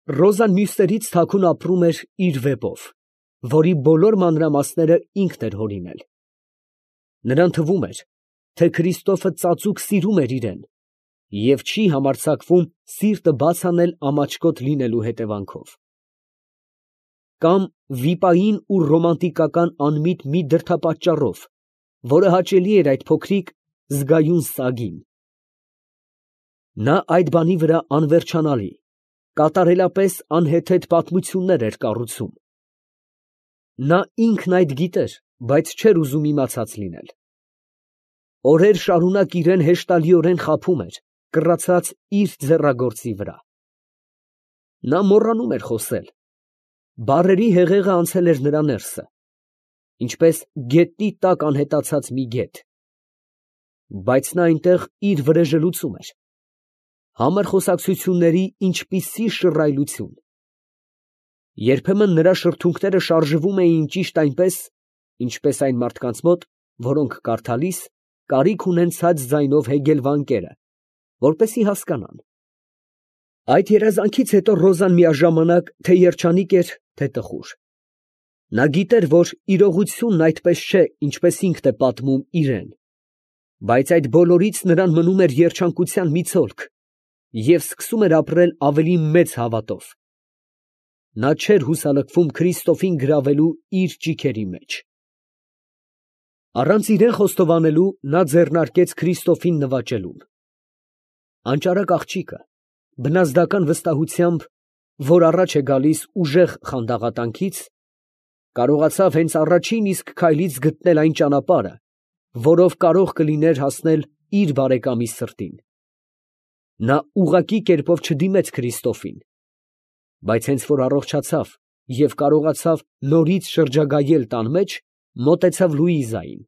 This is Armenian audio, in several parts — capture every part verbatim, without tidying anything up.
Ռոզան մյուսներից թաքուն ապրում էր իր վեպով, որի բոլոր մանրամասները ինքն էր հորինել. նրան թվում էր, թե Քրիստոֆը ծածուկ սիրում էր իրան և չի համարձակվում սիրտը բաց անել ամաչկոտ լինելու հետևանքով, կամ վիպային ու ռոմանտիկական անմիտ մի դրդապատճառով, որը հաճելի էր այդ փոքրիկ զգայուն սագին։ Նա այդ բանի վրա անվերջանալի, կատարելապես անհեթեթ պատմություններ էր կառուցում։ Նա ինքն այդ գիտեր, բայց չէր ուզում իմացած լինել։ Օրեր շարունակ իրան հեշտալիորեն խաբում էր, կռացած իր ձեռագործի վրա։ Նա մոռանում էր խոսել, բառերի հեղեղը անցել էր նրա ներսը, ինչպես գետնի տակ անհետացած մի գետ։ Բայց նա այնտեղ իր վրեժը լուծում էր, համր խոսակցությունների ինչպիսի շռայլություն։ Երբեմն նրա շրթունքները շարժվում էին ճիշտ այնպես, ինչպես այն մարդկանց մոտ, որոնք կարդալիս, կարիք ունեն ցած ձայնով հեգել վանկերը, որպեսզի հասկանան։ Այդ երազանքից հետո Ռոզան միաժամանակ թե երջանիկ էր, թե տխուր։ Նա գիտեր, որ իրողությունն այդպես չէ, ինչպես ինքն է պատմում իրան, բայց այդ բոլորից նրան մնում էր երջանկության մի ցոլք և սկսում էր ապրել ավելի մեծ հավատով։ Նա չէր հուսալքվում Քրիստոֆին գրավելու իր ճիգերի մեջ։ Առանց իրան խոստովանելու նա ձեռնարկեց Քրիստոֆին նվաճելուն։ Անճարակ աղջիկը, բնազդական վստահությամբ, որ առաջ է գալիս ուժեղ խանդաղատանքից, կարողացավ հենց առաջին իսկ քայլից գտնել այն ճանապարհը, որով կարող կլիներ հասնել իր բարեկամի սրտին։ Նա ուղղակի կերպով չդիմեց Քրիստոֆին, բայց հենց որ առողջացավ և կարողացավ նորից շրջագայել տան մեջ, մոտեցավ Լուիզային։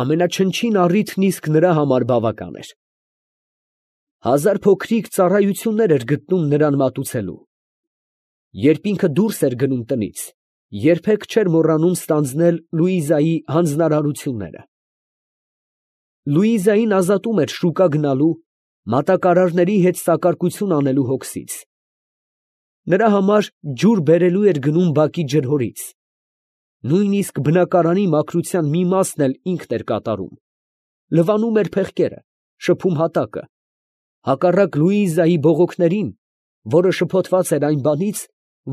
Ամենաչնչին առիթն իսկ նրա համար բավական էր։ Հազար փոքրիկ ծառայություններ էր գտնում նրան մատուցելու։ Երբ ինքը դուրս էր գնում տնից, երբեք չէր մոռանում ստանձնել Լուիզայի հանձնարարությունները։ Լուիզային ազատում էր շուկա գնալու, մատակարարների հետ սակարկություն անելու հոգսից։ Նրա համար ջուր բերելու էր գնում բակի ջրհորից։ Նույնիսկ բնակարանի մաքրության մի մասն էլ ինքն էր կատարում, լվանում էր փեղկերը, շփում հատակը, հակառակ Լուիզայի բողոքներին, որը շփոթված էր այն բանից,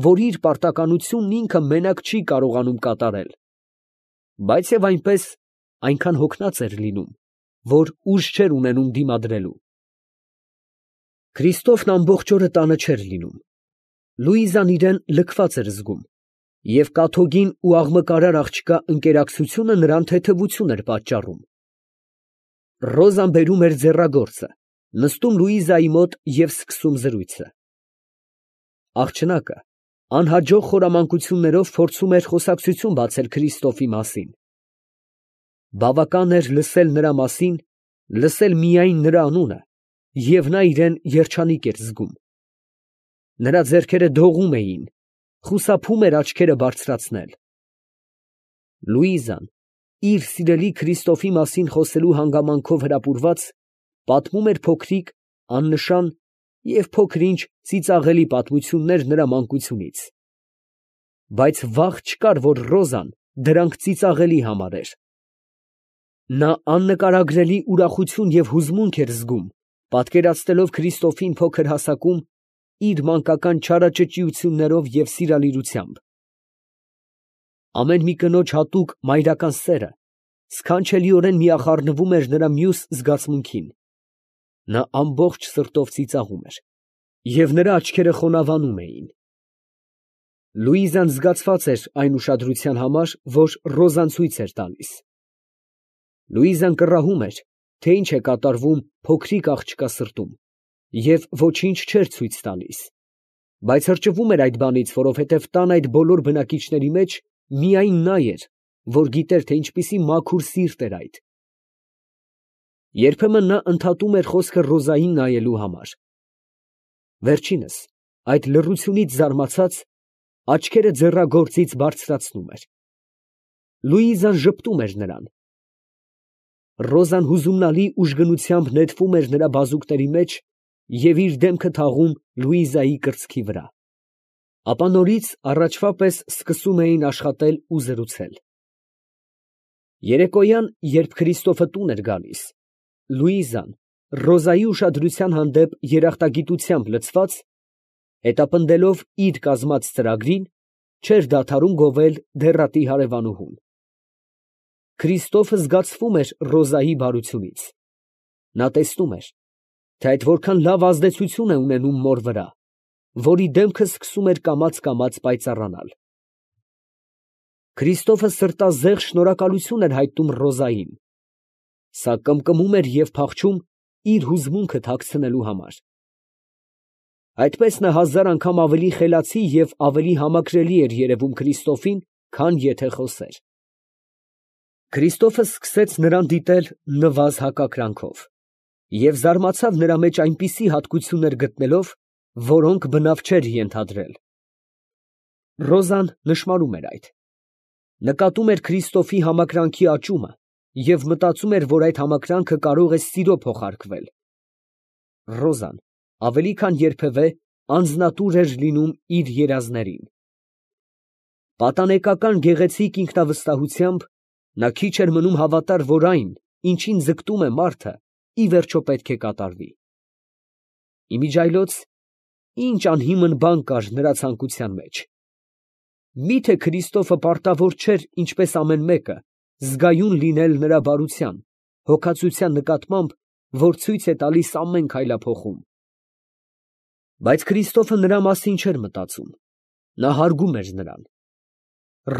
որ իր պարտականությունն ինքը մենակ չի կարողանում կատարել, բայց և այնպես այնքան հոգնած էր լինում, որ ուժ չէր ունենում դիմադրելու։ Քրիստոֆն ամբողջ օրը տանը չէր լինում։ Լուիզան իրան լքված էր զգում, և կաթոկին ու աղմկարար աղջկա ընկերակցությունը նրան թեթևություն էր պատճառում։ Ռոզան բերում էր ձեռագործը, նստում Լուիզայի մոտ և սկսում զրույցը։ Աղջնակը անհաջող խորամանկություններով փորձում էր խոսակցություն բացել Քրիստոֆի մասին։ Բավական էր լսել նրա մասին, լսել միայն նրա անունը, և նա իրան երջանիկ էր զգում։ Նրա ձեռքերը դողում էին, խուսափում էր աչքերը բարձրացնել։ Լուիզան, իր սիրելի Քրիստոֆի մասին խոսելու հանգամանքով հրապուրված, պատմում էր փոքրիկ, աննշան և փոքր֊ինչ ծիծաղելի պատմություններ նրա մանկությունից, բայց վաղ չկար, որ Ռոզան դրանք ծիծաղելի համարեր։ Նա աննկարագրելի ուրախություն և հուզմունք էր զգում, պատկերացնելով Քրիստոֆին փոքր հասակում իր մանկական չարաճճիություններով և սիրալիրությամբ։ Ամեն մի կնոջ հատուկ մայրական սերը սքանչելիորեն միախառնվում էր նրա մյուս զգացմունքին։ Նա ամբողջ սրտով ծիծաղում էր, և նրա աչքերը խոնավանում էին։ Լուիզան զգացված էր այն ուշադրության համար, որ Ռոզան ցույց էր տալիս։ Լուիզան կռահում էր, թե ինչ է կատարվում փոքրիկ աղջկա սրտում, և ոչինչ չէր ցույց տալիս, բայց հրճվում էր այդ բանից, որովհետև տան այդ բոլոր բնակիչների մեջ միայն նա էր, որ գիտեր, թե ինչպիսի մաքուր սիրտ էր այդ։ Երբեմն նա ընդհատում էր խոսքը Ռոզային նայելու համար։ Վերջինս, այդ լռությունից զարմացած, աչքերը ձեռագործից բարձրացնում էր։ Լուիզան ժպտում էր նրան։ Ռոզան հուզումնալի ուժգնությամբ նետվում էր նրա բազուկների մեջ և իր դեմքը թաղում Լուիզայի կրծքի վրա, ապա նորից առաջվա պես սկսում էին աշխատել ու զրուցել։ Երեկոյան, երբ Քրիստոֆը տուն էր գալիս, Լուիզան, Ռոզայի ուշադրության հանդեպ երախտագիտությամբ լցված, հետապնդելով իր կազմած ծրագրին, չէր դադարում գովել դեռատի հարևանուհուն։ Քրիստոֆը զգացվում էր Ռոզայի բարությունից. նա տեսնում էր, թե այդ որքան լավ ազդեցություն է ունենում մոր վրա, որի դեմքը սկսում էր կամաց֊կամաց պայծառանալ։ Քրիստոֆը սրտազեղ շնորհակալություն էր հայտնում Ռոզային, սա կմկմում էր և փախչում իր հուզմունքը թաքցնելու համար։ Այդպես նա հազար անգամ ավելի խելացի և ավելի համակրելի էր երևում Քրիստոֆին, քան եթե խոսեր։ Քրիստոֆը սկսեց նրան դիտել նվազ հակակրանքով և զարմացավ նրա մեջ այնպիսի հատկություններ գտնելով, որոնք բնավ չէր ենթադրել։ Ռոզան նշմարում էր այդ, նկատում էր Քրիստոֆի համակրանքի աճումը և մտածում էր, որ այդ համակրանքը կարող է սիրո փոխարկվել։ Ռոզան ավելի քան երբևէ անձնատուր էր լինում իր երազներին։ Պատանեկական գեղեցիկ ինքնավստահությամբ նա քիչ էր մնում հավատար, որ այն, ինչին ձգտում է մարդը, ի վերջո պետք է կատարվի։ Իմիջիայլոց ինչ անհիմն բան կար նրա ցանկության մեջ։ Մի՞թե Քրիստոֆը պարտավոր չէր, ինչպես ամեն մեկը, զգայուն լինել նրա բարության, հոգածության նկատմամբ, որ ցույց է տալիս ամեն քայլափոխում։ Բայց Քրիստոֆը նրա մասին չէր մտածում, նա հարգում էր նրան։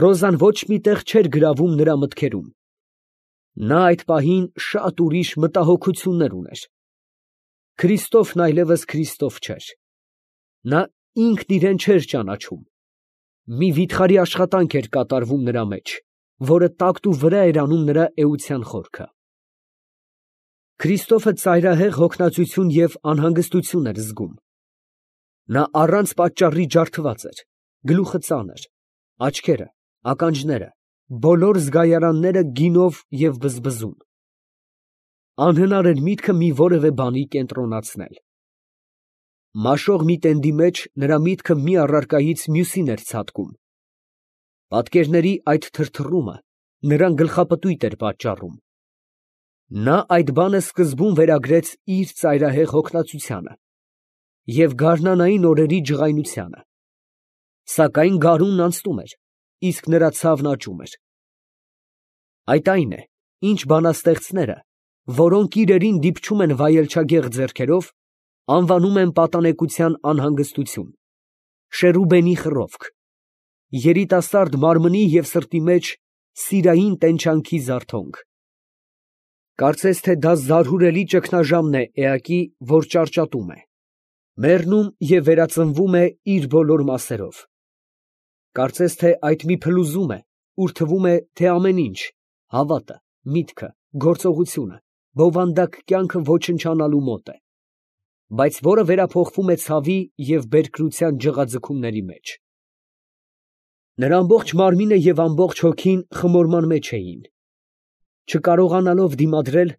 Ռոզան ոչ մի տեղ չէր գրավում նրա մտքերում։ Նա այդ պահին շատ ուրիշ մտահոգություններ ուներ։ Քրիստոֆն այլևս Քրիստոֆ չէր։ Նա ինքն իրան չէր ճանաչում։ Մի վիթխարի աշխատանք էր կատարվում նրա մեջ, որը տակտու վրա էր անում նրա էության խորքը։ Քրիստոֆը ծայրահեղ հոգնածություն և անհանգստություն էր զգում։ Նա առանց պատճառի ջարդված էր, գլուխը ծանր, աչքերը, ականջները, բոլոր զգայարանները գինով և բզբզում։ Անհնար էր միտքը մի որևէ բանի կենտրոնացնել։ Մաշող մի տենդի մեջ նրա միտքը մի առարկայից մյուսին էր ցատկում։ Պատկերների այդ թրթռումը նրան գլխապտույտ էր պատճառում։ Նա այդ բանը սկզբում վերագրեց իր ծայրահեղ հոգնածությանը և գարնանային օրերի ջղայնությանը։ Սակայն գարունն անցնում էր, իսկ նրա ցավն աճում էր։ Այդ այն է, ինչ բանաստեղծները, որոնք իրերին դիպչում են վայելչագեղ ձեռքերով, անվանում են պատանեկության անհանգստություն, Շերուբենի խռովք, երիտասարդ մարմնի և սրտի մեջ սիրային տենչանքի զարթոնք։ Կարծես թե դա զարհուրելի ճգնաժամն է էակի, որ ճարճատում է, մեռնում և վերածնվում է իր բոլոր մասերով։ Կարծես թե այդ մի փլուզում է, ուր թվում է, թե ամեն ինչ, հավատը, միտքը, գործողությունը, բովանդակ կյանքը ոչնչանալու մոտ է, բայց որը վերափոխվում է ցավի և բերկրության ջղաձգումների մեջ։ Նրա ամբողջ մարմինը և ամբողջ հոգին խմորման մեջ էին։ Չկարողանալով դիմադրել,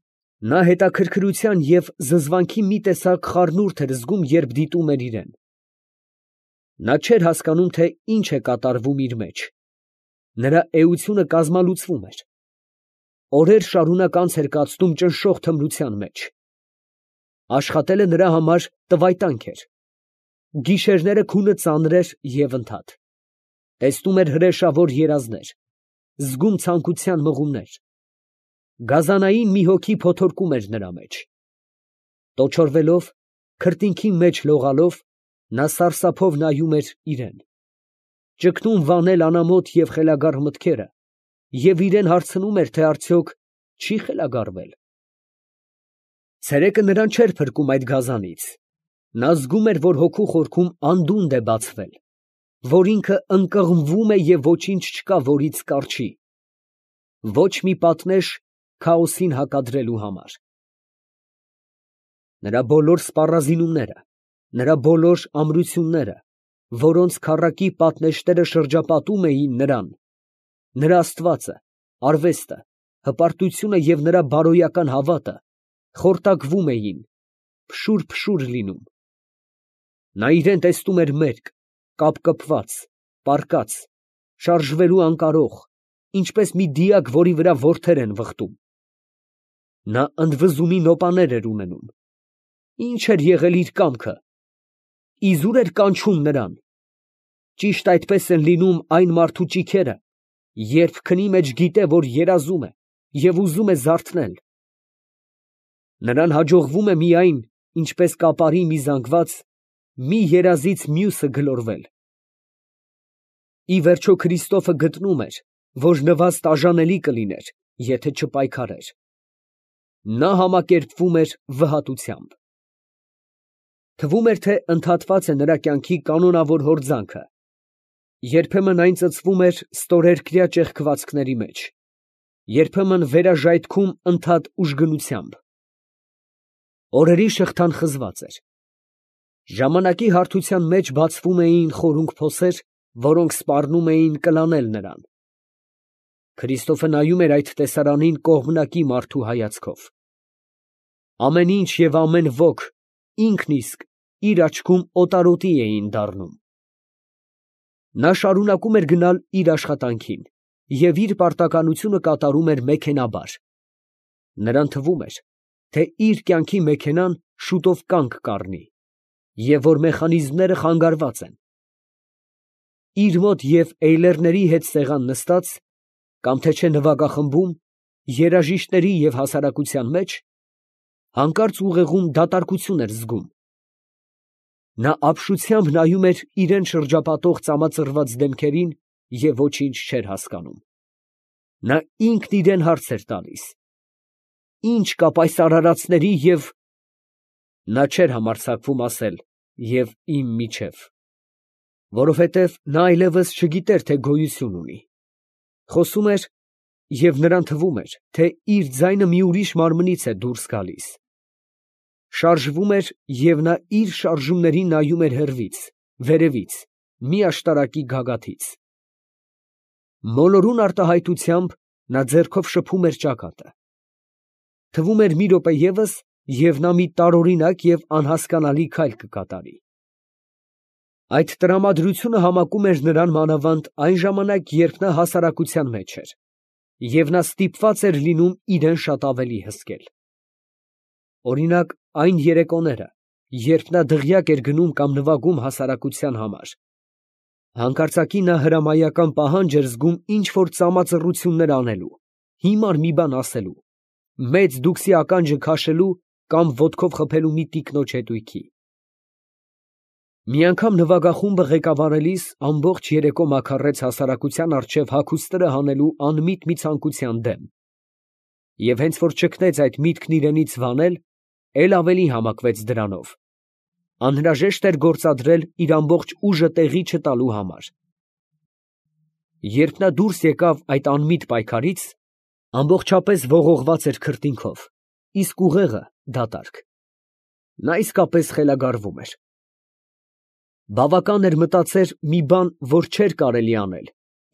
նա հետաքրքրության և զզվանքի մի տեսակ խառնուրդ էր զգում, երբ դիտում էր իրեն։ Նա չէր հասկանում, թե ինչ է կատարվում իր մեջ։ Նրա էությունը կազմալուծվում էր։ Օրեր շարունակ անց էր կացնում ճնշող թմրության մեջ։ Աշխատելը նրա համար տվայտանք էր։ Գիշերները քունը ծանր էր և ընդհատ։ Տեսնում էր հրեշավոր երազներ, զգում ցանկության մղումներ։ Գազանային մի հոգի փոթորկում էր նրա մեջ։ Տոչորվելով, քրտինքի մեջ լողալով, նա սարսափով նայում էր իրեն, ճգնում վանել անամոթ և խելագար մտքերը և իրեն հարցնում էր, թե արդյոք չի խելագարվել։ Ցերեկը նրան չէր փրկում այդ գազանից։ Նա զգում էր, որ հոգու խորքում անդունդը է բացվել, որ ինքը ընկղմվում է և ոչինչ չկա, որից կառչի։ Ոչ մի պատնեշ քաոսին հակադրելու համար։ Նրա բոլոր սպառազինումները, նրա բոլոր ամրությունները, որոնց քառակի պատնեշները շրջապատում էին նրան, նրա աստվածը, արվեստը, հպարտությունը և նրա բարոյական հավատը, խորտակվում էին, փշուր֊փշուր լինում։ Նա իրան տեսնում էր մերկ, կապկպված, պառկած, շարժվելու անկարող, ինչպես մի դիակ, որի վրա որդեր են վխտում։ Նա ընդվզումի նոպաներ էր ունենում։ Ի՞նչ էր եղել իր կամքը։ Իզուր էր կանչում նրան։ Ճիշտ այդպես են լինում այն մարդու ճիգերը, երբ քնի մեջ գիտե, որ երազում է և ուզում է զարթնել։ Նրան հաջողվում է միայն, ինչպես կապարի մի զանգված, մի երազից մյուսը գլորվել։ Ի վերջո Քրիստոֆը գտնում էր, որ նվաստ արժանելի կլիներ, եթե չպայքարեր։ Նա համակերպվում էր վհատությամբ։ Թվում էր, թե ընդհատված է նրա կյանքի կանոնավոր հորձանքը։ Երբեմն այն ծծվում էր ստորերկրյա ճեղքվածքների մեջ, երբեմն վերաժայթքում ընդհատ ուժգնությամբ։ Օրերի շղթան խզված էր։ Ժամանակի հարթության մեջ բացվում էին խորունկ փոսեր, որոնք սպառնում էին կլանել նրան։ Քրիստոֆը նայում էր այդ տեսարանին կողմնակի մարդու հայացքով։ Ամեն ինչ և ամեն ոք ինքն իսկ իր աչքում օտարոտի էին դառնում։ Նա շարունակում էր գնալ իր աշխատանքին և իր պարտականությունը կատարում էր մեքենաբար։ Նրան թվում էր, թե իր կյանքի մեքենան շուտով կանգ կառնի, և որ մեխանիզմները խանգարված են։ Իր մոտ և էյլերների հետ սեղան նստած, կամ թե չէ նվագախմբում, երաժիշտների և հասարակության մեջ, հանկարծ ուղեղում դատարկություն էր զգում։ Նա ապշությամբ նայում էր իրան շրջապատող ծամածռված դեմքերին և ոչինչ չէր հասկանում։ Նա ինքն իրան հարց էր տալիս. ի՞նչ կա պայծառացների և… Նա չէր համարձակվում ասել «և իմ միջև», որովհետև նա այլևս չգիտեր, թե գոյություն ունի։ Խոսում էր, և նրան թվում էր, թե իր ձայնը մի ուրիշ մարմնից է դուրս գալիս։ Շարժվում էր, և նա իր շարժումներին նայում էր հեռվից, վերևից, մի աշտարակի գագաթից։ Մոլորուն արտահայտությամբ նա ձեռքով շփում էր ճակատը։ Թվում էր մի րոպե ևս, և նա մի տարօրինակ և անհասկանալի քայլ կկատարի։ Այդ տրամադրությունը համակում էր նրան մանավանդ այն ժամանակ, երբ նա հասարակության մեջ էր, և նա ստիպված էր լինում իրան շատ ավելի հսկել։ Օրինակ, այն երեկոները, երբ նա դղյակ էր գնում կամ նվագում հասարակության համար, հանկարծակի նա հրամայական պահանջ էր զգում ինչ֊որ ծամածռություններ անելու, հիմար մի բան ասելու, մեծ դուքսի ականջը քաշելու կամ ոտքով խփելու մի տիկնոջ հետույքի։ Մի անգամ նվագախումբը ղեկավարելիս ամբողջ երեկո մաքարեց հասարակության առջև հագուստները հանելու անմիտ մի ցանկության դեմ, և հենց որ ճգնեց այդ միտքն իրենից վանել, էլ ավելի համակվեց դրանով, անհրաժեշտ էր գործադրել իր ամբողջ ուժը տեղի չտալու համար։ Երբ նա դուրս եկավ այդ անմիտ պայքարից, ամբողջապես ողողված էր քրտինքով, իսկ ուղեղը դատարկ։ Նա իսկապես խելագարվում էր։ Բավական էր մտածեր մի բան, որ չէր կարելի անել,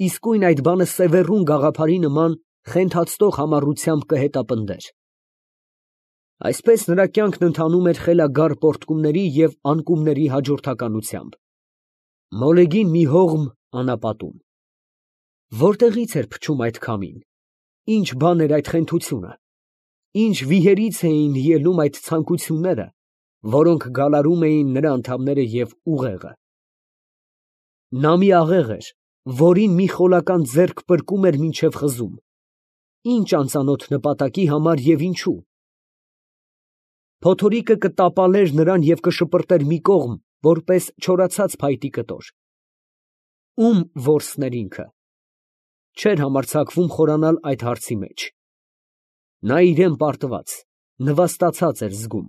իսկույն այդ բանը սևեռուն գաղափարի նման խենթացնող համառությամբ կհետապնդեր։ Այսպես նրա կյանքն ընթանում էր խելագար պոռթկումների և անկումների հաջորդականությամբ։ Մոլեգին մի հողմ անապատում։ Որտեղի՞ց էր փչում այդ քամին, ի՞նչ բան էր այդ խենթությունը, ի՞նչ վիհերից էին ելնում այդ ցանկությունները, որոնք գալարում էին նրա անդամները և ուղեղը։ Նա մի աղեղ էր, որին մի խոլական ձեռք պրկում էր մինչև խզում։ Ի՞նչ անծանոթ նպատակի համար և ինչո՞ւ։ Փոթորիկը կտապալեր նրան և կշպրտեր մի կողմ, որպես չորացած փայտի կտոր։ Ո՞ւմ որսն էր ինքը։ Չէր համարձակվում խորանալ այդ հարցի մեջ։ Նա իրան պարտված, նվաստացած էր զգում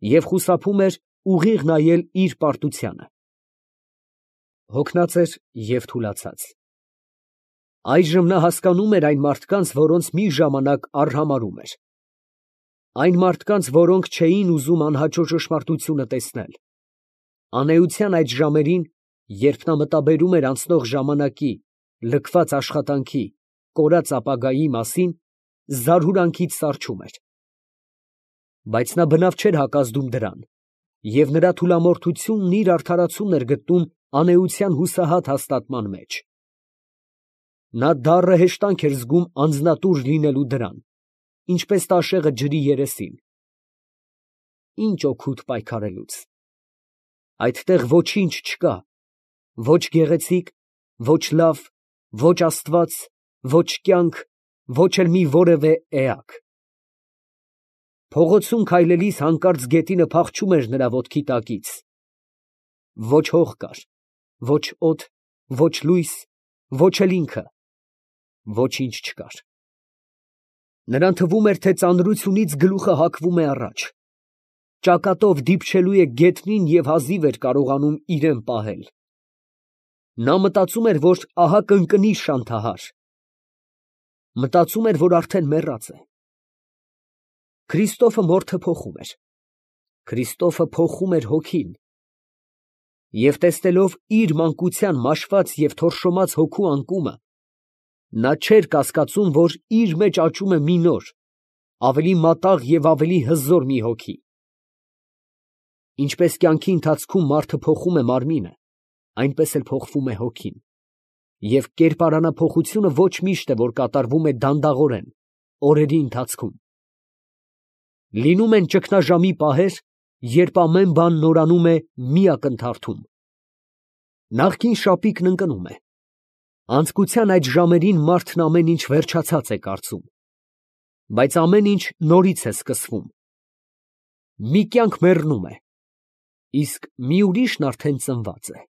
և խուսափում էր ուղիղ նայել իր պարտությանը։ Հոգնած էր և թուլացած։ Այժմ նա հասկանում էր այն մարդկանց, որոնց մի ժամանակ արհամարհում էր։ Այն մարդկանց, որոնք չէին ուզում անհաճո ճշմարտությունը տեսնել։ Անէության այդ ժամերին, երբ նա մտաբերում էր անցնող ժամանակի, լքված աշխատանքի, կորած ապագայի մասին, զարհուրանքից սառչում էր։ Բայց նա բնավ չէր հակազդում դրան, և նրա թուլամորթությունն իր արդարացումն էր գտնում անէության հուսահատ հաստատման մեջ։ Նա դառը հեշտանք էր զգում անձնատուր լինելու դրան, ինչպես տաշեղը ջրի երեսին։ Ինչ օգուտ պայքարելուց. այդտեղ ոչինչ չկա, ոչ գեղեցիկ, ոչ լավ, ոչ Աստված, ոչ կյանք, ոչ էլ մի որևէ էակ։ Փողոցում քայլելիս հանկարծ գետինը փախչում էր նրա ոտքի տակից։ Ոչ հող կար, ոչ օդ, ոչ լույս, ոչ էլ ինքը, ոչինչ չկար։ Նրան թվում էր, թե ծանրությունից գլուխը հակվում է առաջ, ճակատով դիպչելու է գետնին և հազիվ էր կարողանում իրան պահել։ Նա մտածում էր, որ ահա կընկնի շանթահար, մտածում էր, որ արդեն մեռած է։ Քրիստոֆը մորթը փոխում էր, Քրիստոֆը փոխում էր հոգին, և տեսնելով իր մանկության մաշված և թորշոմած հոգու անկումը, նա չէր կասկածում, որ իր մեջ աճում է մի նոր, ավելի մատաղ և ավելի հզոր մի հոգի։ Ինչպես կյանքի ընթացքում մարդը փոխում է մարմինը, այնպես էլ փոխվում է հոգին, և կերպարանափոխությունը ոչ միշտ է, որ կատարվում է դանդաղորեն, օրերի ընթացքում։ Լինում են ճգնաժամի պահեր, երբ ամեն բան նորանում է մի ակնթարթում։ Նախկին շապիկն ընկնում է, անձկության այդ ժամերին մարդն ամեն ինչ վերջացած է կարծում, բայց ամեն ինչ նորից է սկսվում։ Մի կյանք մեռնում է, իսկ մի ուրիշն արդեն ծնված է։